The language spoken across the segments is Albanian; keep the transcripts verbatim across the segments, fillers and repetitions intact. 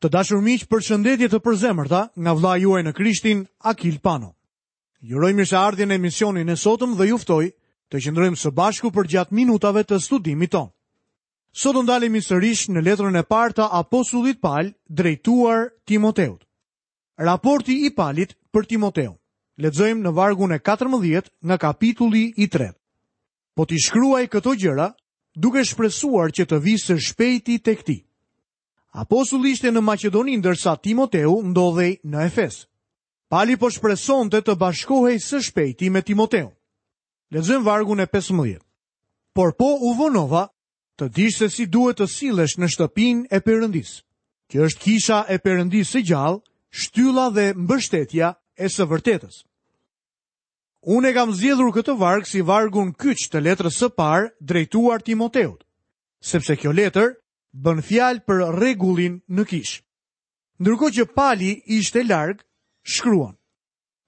Të dashur miq, përshëndetje të përzemërta nga vëllai juaj në Krishtin, Akil Pano. Ju uroj mirëseardhjen në emisionin e sotëm dhe ju ftoj të qëndrojmë së bashku përgjatë minutave të studimit tonë. Sot do ndalemi sërish në letrën e parë të apostullit Pal drejtuar Timoteut. Raporti i Palit për Timoteun. Lexojmë në vargun e katërmbëdhjetë nga kapitulli i tretë. Po t'i shkruaj këto gjëra, duke shpresuar që të vi së shpejti tek ti. Apostulli ishte në Maqedoni ndërsa Timoteu ndodhej në Efes. Pali po shpresonte të bashkohej së shpejti me Timoteun. Lexojmë vargun e pesëmbëdhjetë. Por po u vonova të dish se si duhet të sillesh në shtëpinë e Perëndisë, që është kisha e Perëndisë së gjallë, shtylla dhe mbështetja e së vërtetës. Unë e kam zgjedhur këtë varg si vargun kyç të letrës së parë drejtuar Timoteut, sepse kjo letër bën fjalë për rregullin në kishë. Ndërkohë që Pali ishte larg, shkruan: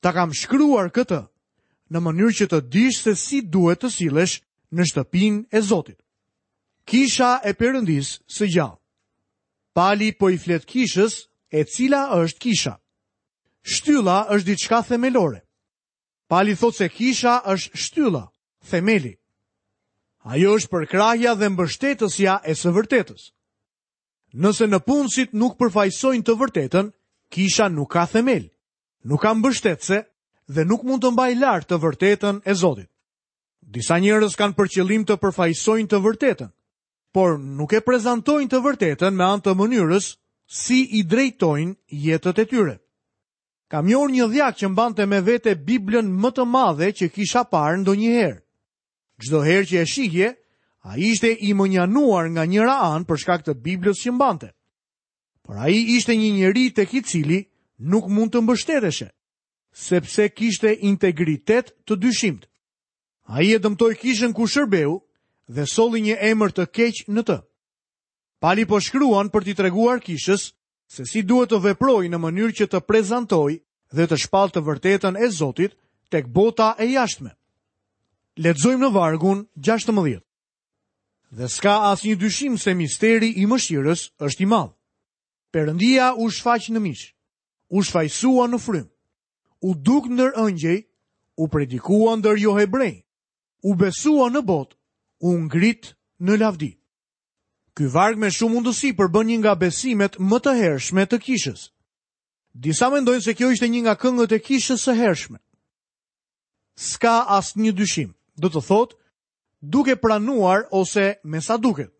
Ta kam shkruar këtë në mënyrë që të dish se si duhet të sillesh në shtëpinë e Zotit. Kisha e Perëndisë së gjallë. Pali po i flet kishës, e cila është kisha. Shtylla është diçka themelore. Pali thotë se kisha është shtylla, themeli. Ajo është përkrahja dhe mbështetësja e së vërtetës. Nëse në punësit nuk përfaqësojnë të vërtetën, kisha nuk ka themel, nuk ka mbështetëse dhe nuk mund të mbajë lart të vërtetën e Zotit. Disa njerëz kanë për qëllim të përfaqësojnë të vërtetën, por nuk e prezantojnë të vërtetën me anë të mënyrës si i drejtojnë jetët e tyre. Kam njohur një dhjak që mbante me vete Biblën më të madhe që kisha parë ndonjëherë. Çdo herë që e shihje, ai ishte i mënjanuar nga njëra anë për shkak të Biblës që mbante. Por ai ishte një njeri tek i cili nuk mund të mbështeteshe, sepse kishte integritet të dyshimtë. Ai e dëmtoi kishën ku shërbeu dhe solli një emër të keq në të. Pali po shkruan për t'i treguar kishës se si duhet të veprojë në mënyrë që të prezantojë dhe të shpallë të vërtetën e Zotit tek bota e jashtme. Lexojmë në vargun gjashtëmbëdhjetë. Dhe s'ka asnjë dyshim se misteri i mëshirës është i madh. Perëndia u shfaq në mish, u shfajsua në frymë, u duk ndër ëngjëj, u predikua ndër johebrej, u besua në botë, u ngrit në lavdi. Ky varg me shumë mundësi përbën një nga besimet më të hershme të kishës. Disa mendojnë se kjo ishte një nga këngët e kishës së hershme. S'ka asnjë dyshim, do të thotë, duke pranuar ose me sa duket.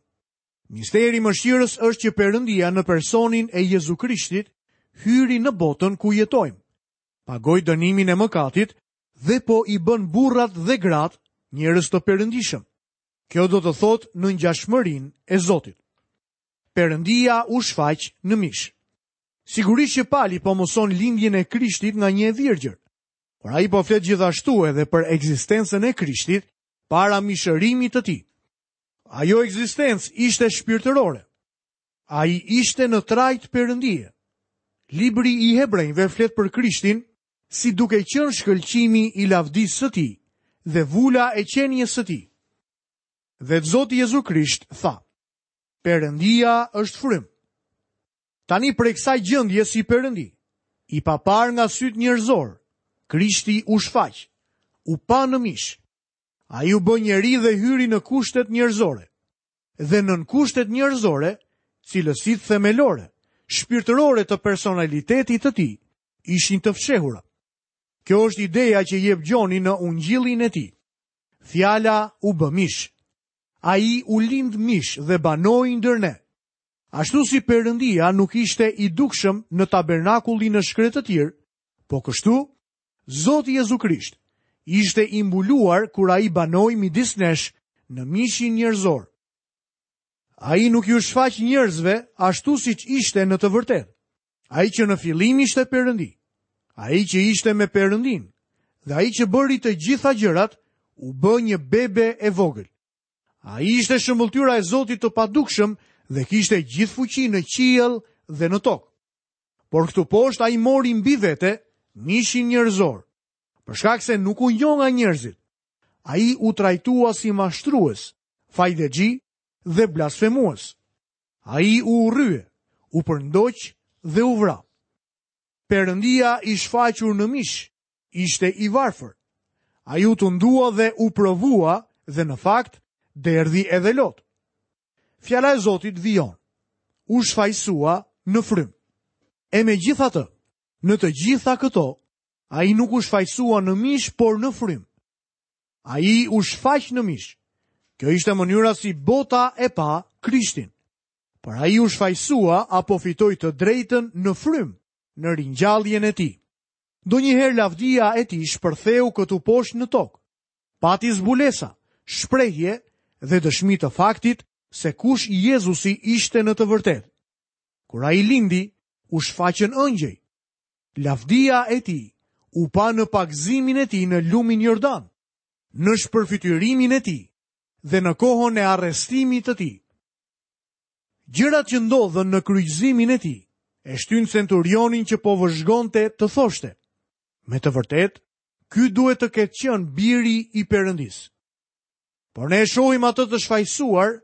Misteri i mëshirës është që Perëndia në personin e Jezu Krishtit hyri në botën ku jetojmë, pagoi dënimin e mëkatit dhe po i bën burrat dhe gratë njerëz të perëndishëm. Kjo do të thotë në ngjashmërinë e Zotit. Perëndia u shfaq në mish. Sigurisht që Pali po mëson lindjen e Krishtit nga një e virgjër, por ai po flet gjithashtu edhe për ekzistencën e Krishtit para mishërimit të tij. Ajo ekzistencë ishte shpirtërore. Ai ishte në trajt perëndie. Libri i Hebrejve flet për Krishtin si duke qenë shkëlqimi i lavdisë së tij dhe vula e qenies së tij. Dhe Zoti Jezu Krisht tha: Perëndia është frymë. Tani prej kësaj gjendje si Perëndi, i papar nga syt njerëzor, Krishti u shfaq, u pa në mish. Ai u bë njeri dhe hyri në kushtet njerëzore. Dhe nën kushtet njerëzore, cilësitë themelore, shpirtërore të personalitetit të tij, ishin të fshehura. Kjo është ideja që jep Gjoni në ungjillin e tij. Fjala u bë mish. Ai u lind mish dhe banoi ndër ne. Ashtu si Perëndia nuk ishte i dukshëm në tabernakullin në shkretëtir, po kështu Zoti Jezu Krisht ishte i mbuluar kur ai banoi midis nesh në mishin njerëzor. Ai nuk ju shfaq njerëzve ashtu siç ishte në të vërtetë. Ai që në fillim ishte Perëndi, ai që ishte me Perëndin, dhe ai që bëri të gjitha gjërat, u bë një bebe e vogël. Ai ishte shëmbëlltyra e Zotit të padukshëm dhe kishte gjithë fuqi në qiell dhe në tokë. Por këtu poshtë ai mori mbi vete mishin njerëzor, për shkak se nuk u njoh nga njerëzit. Ai u trajtua si mashtrues, fajdexhi dhe blasfemues. Ai u urrye, u përndoq dhe u vra. Perëndia i shfaqur në mish ishte i varfër. Ai u tundua dhe u provua dhe në fakt derdhi edhe lot. Fjala e Zotit vijon. U shfajsua në frymë. E megjithatë, në të gjitha këto, ai nuk u shfajsua në mish, por në frymë. Ai u shfaq në mish. Kjo ishte mënyra si bota e pa Krishtin. Por ai u shfajsua apo fitoi të drejtën në frymë, në ringjalljen e tij. Ndonjëherë lavdia e tij shpërtheu këtu poshtë në tokë. Pati zbulesa, shprehje dhe dëshmi të faktit se kush Jezusi ishte në të vërtetë. Kur ai lindi, u shfaqën ëngjëj. Lavdia e tij u pa në pagëzimin e tij në lumin Jordan, në shpërfytyrimin e tij dhe në kohën e arrestimit të tij. Gjërat që ndodhën në kryqëzimin e tij e shtyn centurionin që po vëzhgonte të thoshte: me të vërtetë, ky duhet të ketë qenë biri i Perëndisë. Por ne e shohim atë të shfajsuar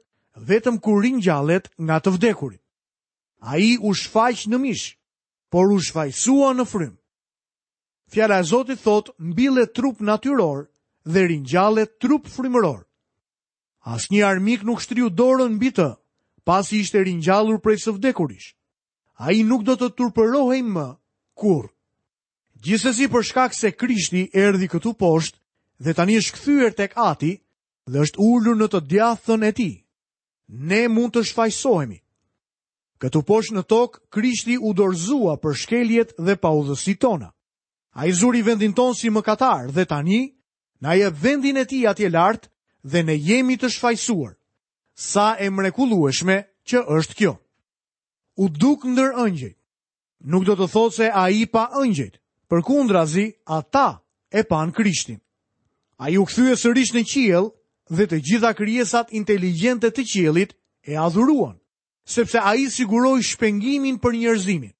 vetëm kur ringjallet nga të vdekurit. Ai u shfaq në mish, por u shfajsua në frymë. Fjala e Zotit thotë, mbillet trup natyror dhe ringjallet trup frymëror. Asnjë armik nuk shtriu dorën mbi të, pasi ishte ringjallur prej së vdekurish. Ai nuk do të turpërohej më kurrë. Gjithsesi, për shkak se Krishti erdhi këtu poshtë dhe tani është kthyer tek Ati dhe është ulur në të djathtën e tij, ne mund të shfajsohemi. Këtu poshtë në tokë, Krishti u dorëzua për shkeljet dhe paudhësitë tona. Ai zuri vendin tonë si mëkatar dhe tani na jep vendin e tij atje lart dhe ne jemi të shfajsuar. Sa e mrekullueshme që është kjo. U duk ndër ëngjëjt. Nuk do të thotë se ai pa ëngjëjt, përkundrazi ata e pan Krishtin. Ai u kthye sërish në qiell dhe të gjitha krijesat inteligjente të qiellit e adhuruan, sepse ai siguroi shpengimin për njerëzimin.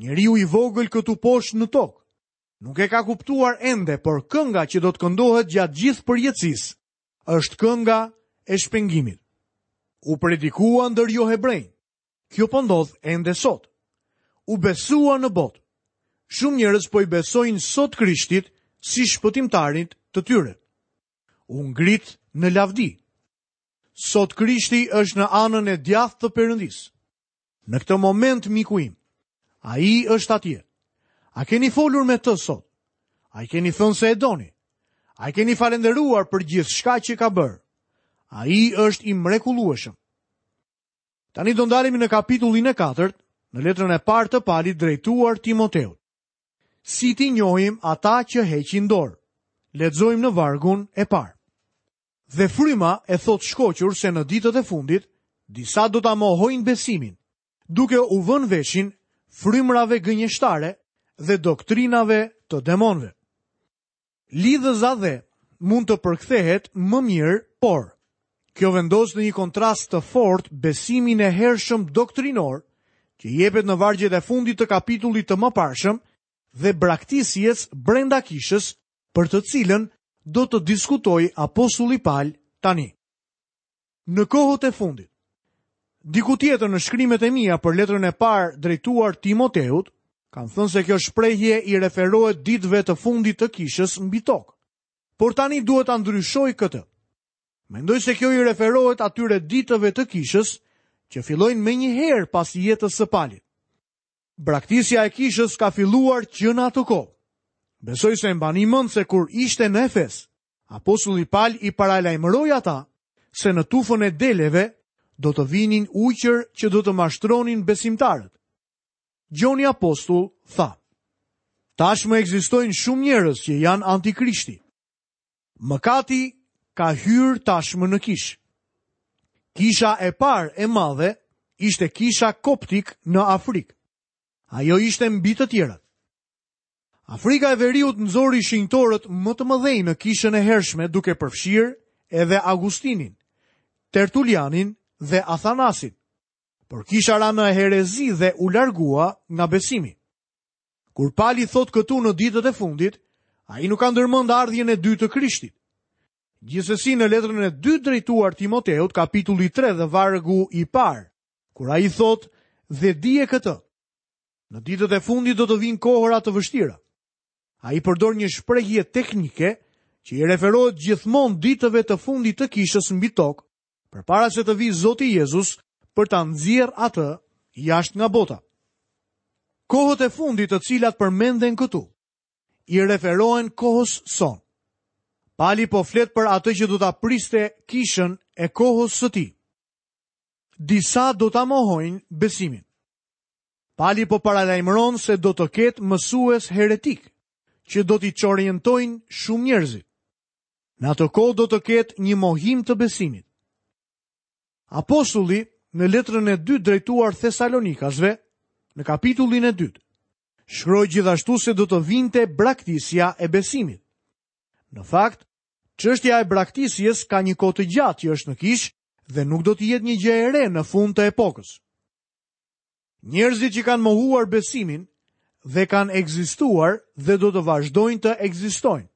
Njeriu i vogël këtu poshtë në tokë nuk e ka kuptuar ende, por kënga që do të këndohet gjatë gjithë përjetësisë është kënga e shpengimit. U predikua ndër jo hebrejnë. Kjo po ndodh ende sot. U besua në botë. Shumë njerëz po i besojnë sot Krishtit si shpëtimtarit të tyre. U ngrit në lavdi. Sot Krishti është në anën e djathtë të Perëndisë. Në këtë moment, miku im, ai është atje. A keni folur me të sot? A i keni thënë se e doni? A i keni falënderuar për gjithçka që ka bërë? Ai është i mrekullueshëm. Tani do ndalemi në kapitullin e katërt, në letrën e parë të Palit drejtuar Timoteut. Si t'i njohim ata që heqin dorë? Lexojmë në vargun e parë. Dhe fryma e thotë shkoqur se në ditët e fundit, disa do ta mohojnë besimin, duke u vënë veshin frymrave gënjeshtare dhe doktrinave të demonëve. Lidhëza dhe mund të përkthehet më mirë, por kjo vendos në një kontrast të fortë besimin e hershëm doktrinor që jepet në vargjet e fundit të kapitullit të mëparshëm dhe braktisjes brenda kishës, për të cilën do të diskutojë apostulli Pal tani. Në kohët e fundit, diku tjetër në shkrimet e mia për letrën e parë drejtuar Timoteut, kam thënë se kjo shprehje i referohet ditëve të fundit të kishës mbi tokë. Por tani duhet ta ndryshoj këtë. Mendoj se kjo i referohet atyre ditëve të kishës që fillojnë menjëherë pas jetës së Palit. Braktisja e kishës ka filluar që në atë kohë. Besoj se mbani mend se kur ishte në Efes, apostulli Pal i paralajmëroi ata se në tufën e deleve do të vinin ujqër që do të mashtronin besimtarët. Gjoni apostull tha: tashmë ekzistojnë shumë njerëz që janë antikrishti. Mëkati ka hyrë tashmë në kishë. Kisha e parë e madhe ishte kisha koptik në Afrikë. Ajo ishte mbi të tjerat. Afrika e Veriut nxori shenjtorët më të mëdhenj në kishën e hershme, duke përfshirë edhe Augustinin, Tertulianin dhe Athanasin. Por kisha ra në herezi dhe u largua nga besimi. Kur Pali thot këtu në ditët e fundit, ai nuk ka ndërmend ardhjen e dytë të Krishtit. Gjithsesi në letrën e dytë drejtuar Timoteut, kapitulli tre dhe vargu i parë, kur ai thot: "Dhe dije këtë, Në ditët e fundit do të vinë kohëra të vështira. Ai përdor një shprehje teknike që i referohet gjithmonë ditëve të fundit të kishës mbi tokë, përpara se të vijë Zoti Jezus për ta nxjerrë atë jashtë nga bota. Kohët e fundit të cilat përmenden këtu i referohen kohës sonë. Pali po flet për atë që do ta priste kishën e kohës së tij. Disa do ta mohojnë besimin. Pali po paralajmëron se do të ketë mësues heretik, që do t'i çorientojnë shumë njerëzit. Në atë kohë do të ketë një mohim të besimit. Apostulli në letrën e dytë drejtuar Thesalonikasve, në kapitullin e dytë, shkroi gjithashtu se do të vinte braktisja e besimit. Në fakt, çështja e braktisjes ka një kohë të gjatë që është në kishë dhe nuk do të jetë një gjë e re në fund të epokës. Njerëzit që kanë mohuar besimin dhe kanë ekzistuar dhe do të vazhdojnë të ekzistojnë.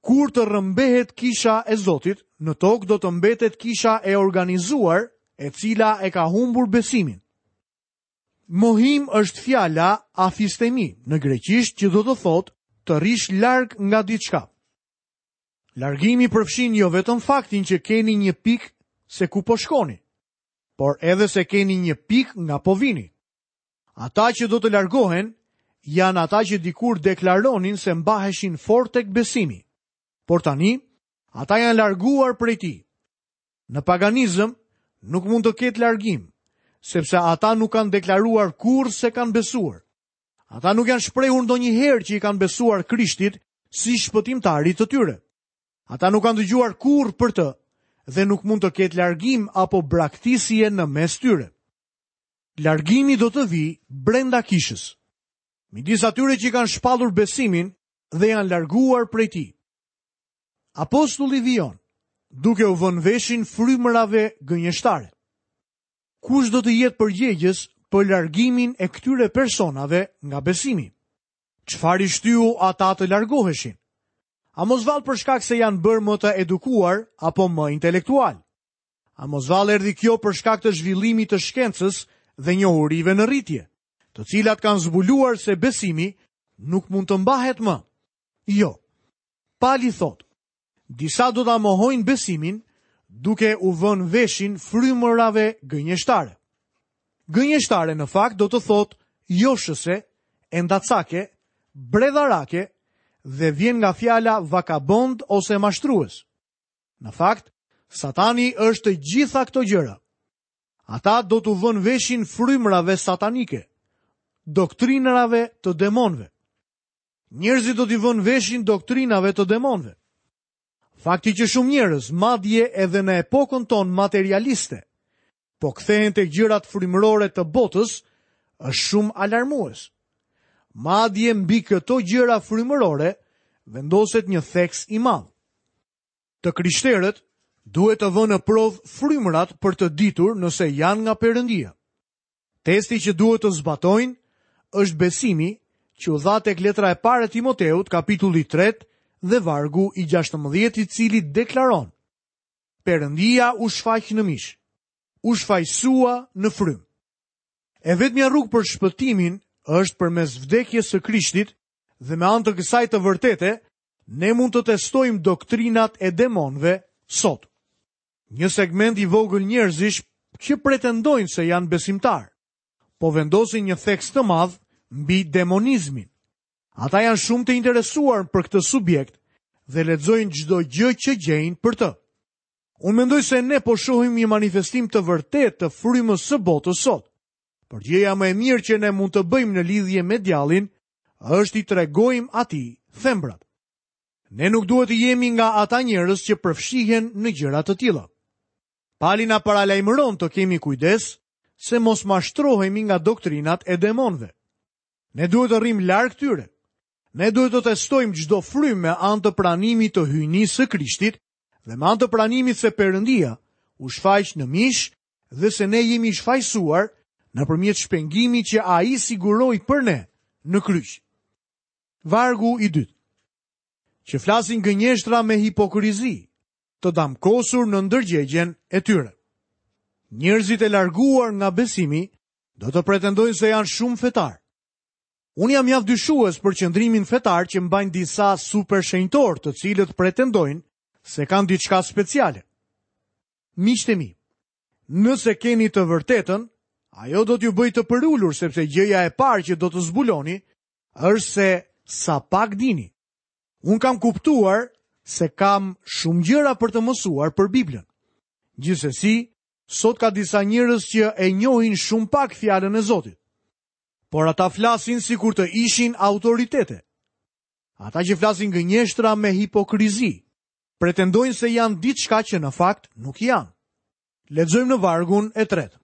Kur të rrëmbehet kisha e Zotit, në tokë do të mbetet kisha e organizuar, e cila e ka humbur besimin. Mohim është fjala afistemi në greqisht, që do të thotë të rrish larg nga diçka. Largimi përfshin jo vetëm faktin që keni një pikë se ku po shkoni, por edhe se keni një pikë nga po vini. Ata që do të largohen janë ata që dikur deklaronin se mbaheshin fort tek besimi, por tani ata janë larguar prej tij. Në paganizëm nuk mund të ketë largim, sepse ata nuk kanë deklaruar kurrë se kanë besuar. Ata nuk janë shprehur ndonjëherë që i kanë besuar Krishtit si shpëtimtarit të tyre. Ata nuk kanë dëgjuar kurrë për të dhe nuk mund të ketë largim apo braktisje në mes tyre. Largimi do të vijë brenda kishës, midis atyre që kanë shpallur besimin dhe janë larguar prej tij. Apostulli vijon, duke u vënë veshin frymërave gënjeshtare. Kush do të jetë përgjegjës për largimin e këtyre personave nga besimi? Çfarë i shtyu ata të largoheshin? A mos vallë për shkak se janë bërë më të edukuar apo më intelektual? A mos vallë erdhi kjo për shkak të zhvillimit të shkencës dhe njohurive në rritje, të cilat kanë zbuluar se besimi nuk mund të mbahet më? Jo. Pali thotë, disa do ta mohojnë besimin duke u vënë veshin frymërave gënjeshtare. Gënjeshtare në fakt do të thotë joshëse, endacake, bredharake dhe vjen nga fjala vakabond ose mashtrues. Në fakt, Satani është të gjitha këto gjëra. Ata do t'u vënë veshin frymërave satanike, doktrinave të demonëve. Njerëzit do t'i vënë veshin doktrinave të demonëve. Fakti që shumë njerëz, madje edhe në epokën tonë materialiste, po kthehen tek gjërat frymërore të botës, është shumë alarmues. Madje mbi këto gjëra frymërore vendoset një theks i madh. Të krishterët duhet të vënë në provë frymërat për të ditur nëse janë nga Perëndia. Testi që duhet të zbatojnë është besimi që u dha tek letra e parë e Timoteut, kapitulli tre dhe vargu i gjashtëmbëdhjetë, i cili deklaron: Perëndia u shfaq në mish, u shfaqsua në frymë. E vetmja rrugë për shpëtimin është përmes vdekjes së Krishtit dhe me anë të kësaj të vërtete, ne mund të testojmë doktrinat e demonëve sot. Një segment i vogël njerëzish që pretendojnë se janë besimtar, po vendosin një theks të madh mbi demonizmin. Ata janë shumë të interesuar për këtë subjekt dhe lexojnë çdo gjë që gjejnë për të. Unë mendoj se ne po shohim një manifestim të vërtetë të frymës së botës sot. Por gjëja më e mirë që ne mund të bëjmë në lidhje me djallin është i tregojmë atij thembrat. Ne nuk duhet të jemi nga ata njerëz që përfshihen në gjëra të tilla. Pali na paralajmëron të kemi kujdes se mos mashtrohemi nga doktrinat e demonëve. Ne duhet të rrim larg tyre. Ne duhet të testojmë çdo frymë me anë të pranimit të hyjnisë së Krishtit dhe me anë të pranimit se Perëndia u shfaq në mish dhe se ne jemi shfajsuar nëpërmjet shpengimit që ai siguroi për ne në kryq. Vargu i dytë. Që flasin gënjeshtra me hipokrizi, të damkosur në ndërgjegjen e tyre. Njerëzit e larguar nga besimi Do të pretendojnë se janë shumë fetar. Unë jam mjaft dyshues për qëndrimin fetar që mbajnë disa supershenjtorë, të cilët pretendojnë se kanë diçka speciale. Miqtë e mi, nëse keni të vërtetën, ajo do t'ju bëjë të përulur, sepse gjëja e parë që do të zbuloni është se sa pak dini. Unë kam kuptuar se kam shumë gjëra për të mësuar për Biblën. Gjithsesi, sot ka disa njerëz që e njohin shumë pak fjalën e Zotit. Por ata flasin sikur të ishin autoritete. Ata që flasin gënjeshtra me hipokrizi, pretendojnë se janë diçka që në fakt nuk janë. Lexojmë në vargun e tretë.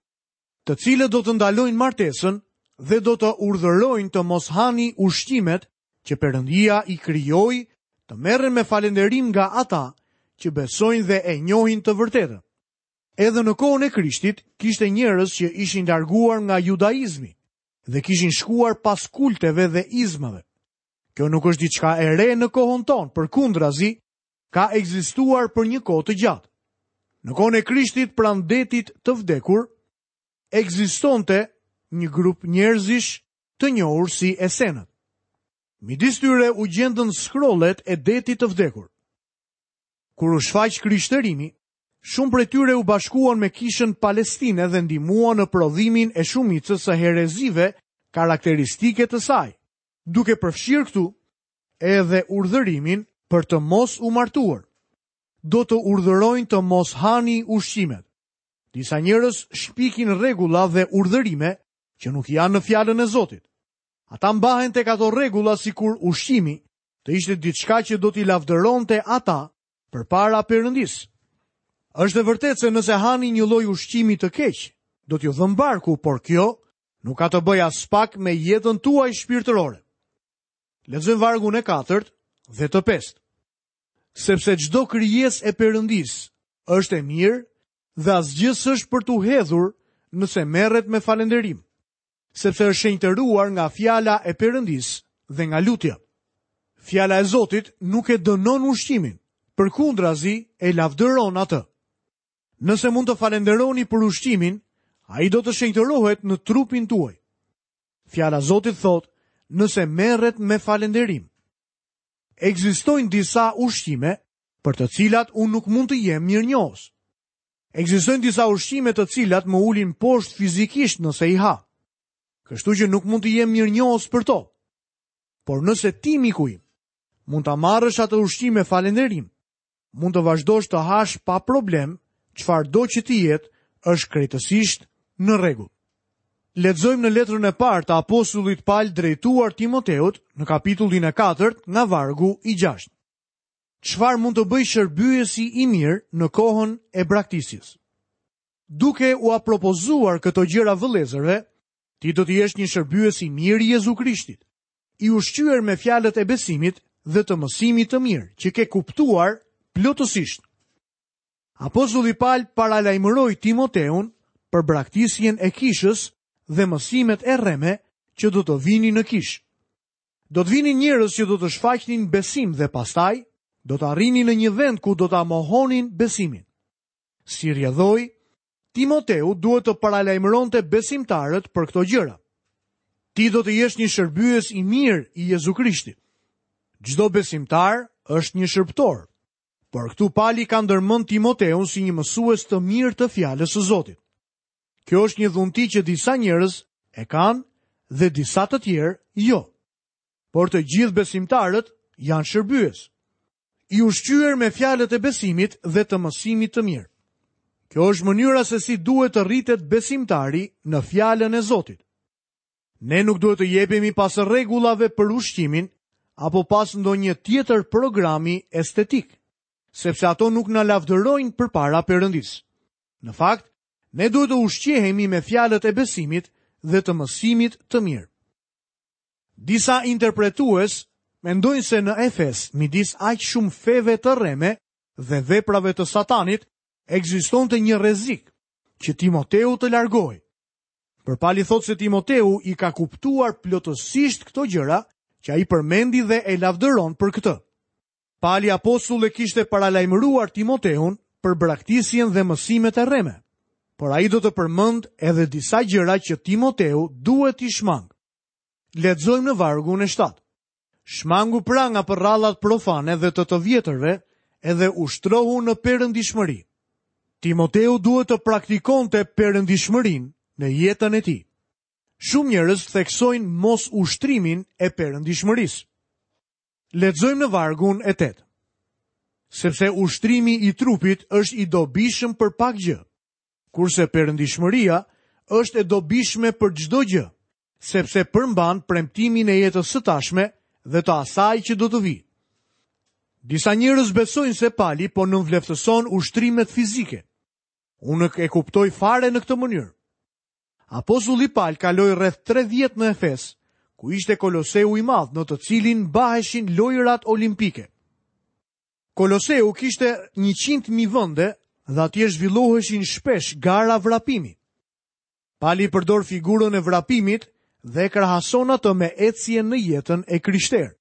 Të cilët do të ndalojnë martesën dhe do të urdhërojnë të mos hani ushqimet që Perëndia i krijoi, të merren me falënderim nga ata që besojnë dhe e njohin të vërtetën. Edhe në kohën e Krishtit kishte njerëz që ishin larguar nga judaizmi dhe kishin shkuar pas kulteve dhe izmave. Kjo nuk është diçka e re në kohën tonë, përkundrazi ka ekzistuar për një kohë të gjatë. Në kohën e Krishtit pranë detit të vdekur ekzistonte një grup njerëzish të njohur si Esenët. Midis tyre u gjendën skrollet e detit të vdekur. Kur u shfaq krishtërimi, shumë prej tyre u bashkuan me kishën palestine dhe ndihmuan në prodhimin e shumicës së herezive karakteristike të saj, duke përfshirë këtu edhe urdhërimin për të mos u martuar. Do të urdhërojnë të mos hani ushqimet. Disa njerëz shpikin rregulla dhe urdhërime që nuk janë në fjalën e Zotit. Ata mbahen tek ato rregulla sikur ushqimi të ishte diçka që do t'i lavdëronte ata përpara Perëndisë. Është e vërtetë se nëse hani një lloj ushqimi të keq, do t'ju dhëm barku, por kjo nuk ka të bëjë as pak me jetën tuaj shpirtërore. Lexojmë vargun e katërt dhe të pestë. Sepse çdo krijesë e Perëndisë është e mirë dhe asgjë s'është për t'u hedhur nëse merret me falënderim, sepse është shenjtëruar nga fjala e Perëndisë dhe nga lutja. Fjala e Zotit nuk e dënon ushqimin, përkundrazi e lavdëron atë. Nëse mund të falënderoni për ushqimin, ai do të shenjtërohet në trupin tuaj. Fjala e Zotit thotë, nëse merret me falënderim. Ekzistojnë disa ushqime për të cilat unë nuk mund të jem mirënjohës. Ekzistojnë disa ushqime të cilat më ulin poshtë fizikisht nëse i ha. Kështu që nuk mund të jem mirënjohës për to. Por nëse ti, miku im, mund ta marrësh atë ushqim me falënderim, mund të vazhdosh të hash pa problem, çfarëdo që të jetë, është krejtësisht në rregull. Lexojmë në letrën e parë të apostullit Paul drejtuar Timoteut në kapitullin e katërt nga vargu i gjashtë. Çfarë mund të bëjë shërbyesi i mirë në kohën e braktisjes? Duke ua propozuar këto gjëra vëllezërve, ti do të jesh një shërbyes i mirë i Jezu Krishtit, i ushqyer me fjalët e besimit dhe të mësimit të mirë që ke kuptuar plotësisht. Apostulli Paul paralajmëroi Timoteun për braktisjen e kishës dhe mësimet e rreme që do të vinin në kishë. Do të vinin njerëz që do të shfaqnin besim dhe pastaj do të arrinin në një vend ku do ta mohonin besimin. Si rrjedhoi, Timoteu duhet të paralajmëronte besimtarët për këto gjëra. Ti do të jesh një shërbyes i mirë i Jezu Krishtit. Çdo besimtar është një shërbëtor, por këtu Pali ka ndërmend Timoteun si një mësues të mirë të fjalës së Zotit. Kjo është një dhunti që disa njerëz e kanë dhe disa të tjerë jo. Por të gjithë besimtarët janë shërbyes, i ushqyer me fjalët e besimit dhe të mësimit të mirë. Kjo është mënyra se si duhet të rritet besimtari në fjalën e Zotit. Ne nuk duhet të jepemi pas rregullave për ushqimin apo pas ndonjë tjetër programi estetik, sepse ato nuk na lavdërojnë përpara Perëndisë. Në fakt, ne duhet të ushqehemi me fjalët e besimit dhe të mësimit të mirë. Disa interpretues mendojnë se në Efes, midis aq shumë feve të rreme dhe veprave të Satanit, ekzistonte një rrezik që Timoteu të largohej. Por Pali thotë se Timoteu i ka kuptuar plotësisht këto gjëra që ai përmendi dhe e lavdëron për këtë. Pali apostull e kishte paralajmëruar Timoteun për braktisjen dhe mësimet e rreme. Por ai do të përmend edhe disa gjëra që Timoteu duhet t'i shmang. Lexojmë në vargun e shtatë. Shmangu pra nga përrallat profane dhe të të vjetërve, edhe ushtrohu në perëndishmëri. Timoteu duhet të praktikonte perëndishmërinë në jetën e tij. Shumë njerëz theksojnë mos ushtrimin e perëndishmërisë. Lexojmë në vargun e tetë. Sepse ushtrimi i trupit është i dobishëm për pak gjë, kurse perëndishmëria është e dobishme për çdo gjë, sepse përmban premtimin e jetës së tashme dhe të asaj që do të vijë. Disa njerëz besojnë se Pali po nënvleftëson ushtrimet fizike. Unë nuk e kuptoj fare në këtë mënyrë. Apostulli Pal kaloi rreth tre vjet në Efes, ku ishte Koloseu i madh në të cilin mbaheshin lojërat olimpike. Koloseu kishte njëqind mijë vende dhe atje zhvilloheshin shpesh gara vrapimi. Pali përdor figurën e vrapimit dhe e krahason atë me ecjen në jetën e krishterë.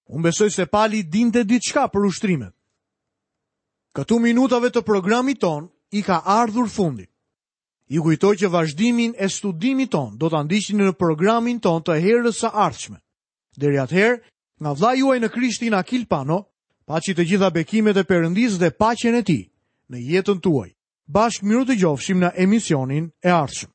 Unë besoj se Pali dinte diçka për ushtrimet. Këtu minutave të programit ton i ka ardhur fundi. Ju kujtoj që vazhdimin e studimit ton do ta ndiqni në programin ton të herës së ardhshme. Deri atëherë, nga vëllai juaj në Krishtin Akil Pano, paçi të gjitha bekimet e Perëndisë dhe paqen e tij në jetën tuaj. Bashkë mirë të dëgjofshim në emisionin e ardhshëm.